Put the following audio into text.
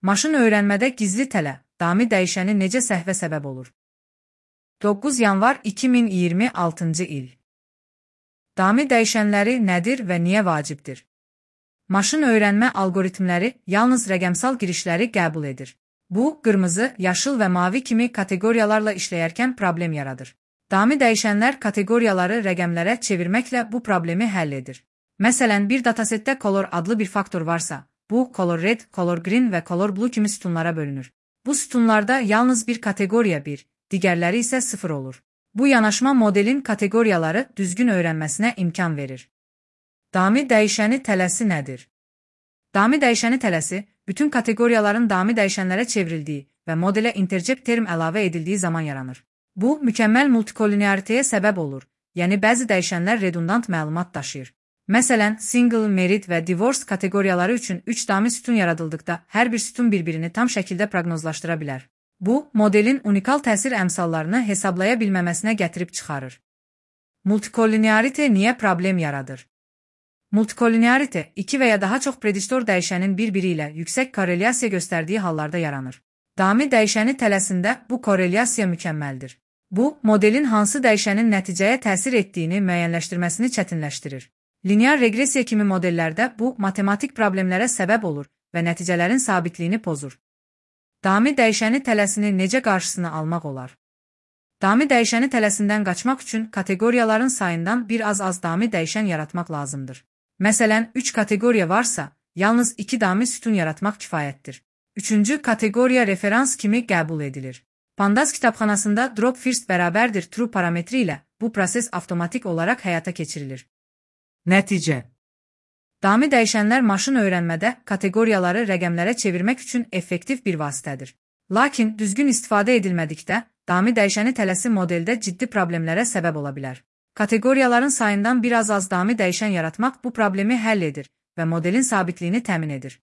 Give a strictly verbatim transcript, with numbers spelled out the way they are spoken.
Maşın öyrənmədə gizli tələ, dami dəyişəni necə səhvə səbəb olur? doqquz yanvar iki min iyirmi altıncı il. Dami dəyişənləri nədir və niyə vacibdir? Maşın öyrənmə algoritmləri yalnız rəqəmsal girişləri qəbul edir. Bu, qırmızı, yaşıl və mavi kimi kateqoriyalarla işləyərkən problem yaradır. Dami dəyişənlər kateqoriyaları rəqəmlərə çevirməklə bu problemi həll edir. Məsələn, bir datasetdə color adlı bir faktor varsa, bu color red, color green və color blue kimi sütunlara bölünür. Bu sütunlarda yalnız bir kateqoriya bir, digərləri isə sıfır olur. Bu yanaşma modelin kateqoriyaları düzgün öyrənməsinə imkan verir. Dami dəyişəni tələsi nədir? Dami dəyişəni tələsi, bütün kateqoriyaların dami dəyişənlərə çevrildiyi və modelə intercept term əlavə edildiyi zaman yaranır. Bu, mükəmməl multikolinearitəyə səbəb olur, yəni bəzi dəyişənlər redundant məlumat daşıyır. Məsələn, single, merit və divorce kateqoriyaları üçün üç dami sütun yaradıldıqda hər bir sütun bir-birini tam şəkildə proqnozlaşdıra bilər. Bu, modelin unikal təsir əmsallarını hesablaya bilməməsinə gətirib çıxarır. Multikolinearite niyə problem yaradır? Multikolinearite, iki və ya daha çox prediktor dəyişənin bir-biri ilə yüksək korrelyasiya göstərdiyi hallarda yaranır. Dami dəyişəni tələsində bu korrelyasiya mükəmməldir. Bu, modelin hansı dəyişənin nəticəyə təsir etdiyini müəyyənləşdirməsini çətinləşdirir. Linear reqresiya kimi modellərdə bu, matematik problemlərə səbəb olur və nəticələrin sabitliyini pozur. Dami dəyişəni tələsini necə qarşısını almaq olar? Dami dəyişəni tələsindən qaçmaq üçün kateqoriyaların sayından bir az-az dami dəyişən yaratmaq lazımdır. Məsələn, üç kateqoriya varsa, yalnız iki dami sütun yaratmaq kifayətdir. Üçüncü kateqoriya referans kimi qəbul edilir. Pandas kitabxanasında drop first bərabərdir true parametri ilə bu proses avtomatik olaraq həyata keçirilir. Nəticə: dami dəyişənlər maşın öyrənmədə kateqoriyaları rəqəmlərə çevirmək üçün effektiv bir vasitədir. Lakin düzgün istifadə edilmədikdə, dami dəyişəni tələsi modeldə ciddi problemlərə səbəb ola bilər. Kateqoriyaların sayından bir az-az dami dəyişən yaratmaq bu problemi həll edir və modelin sabitliyini təmin edir.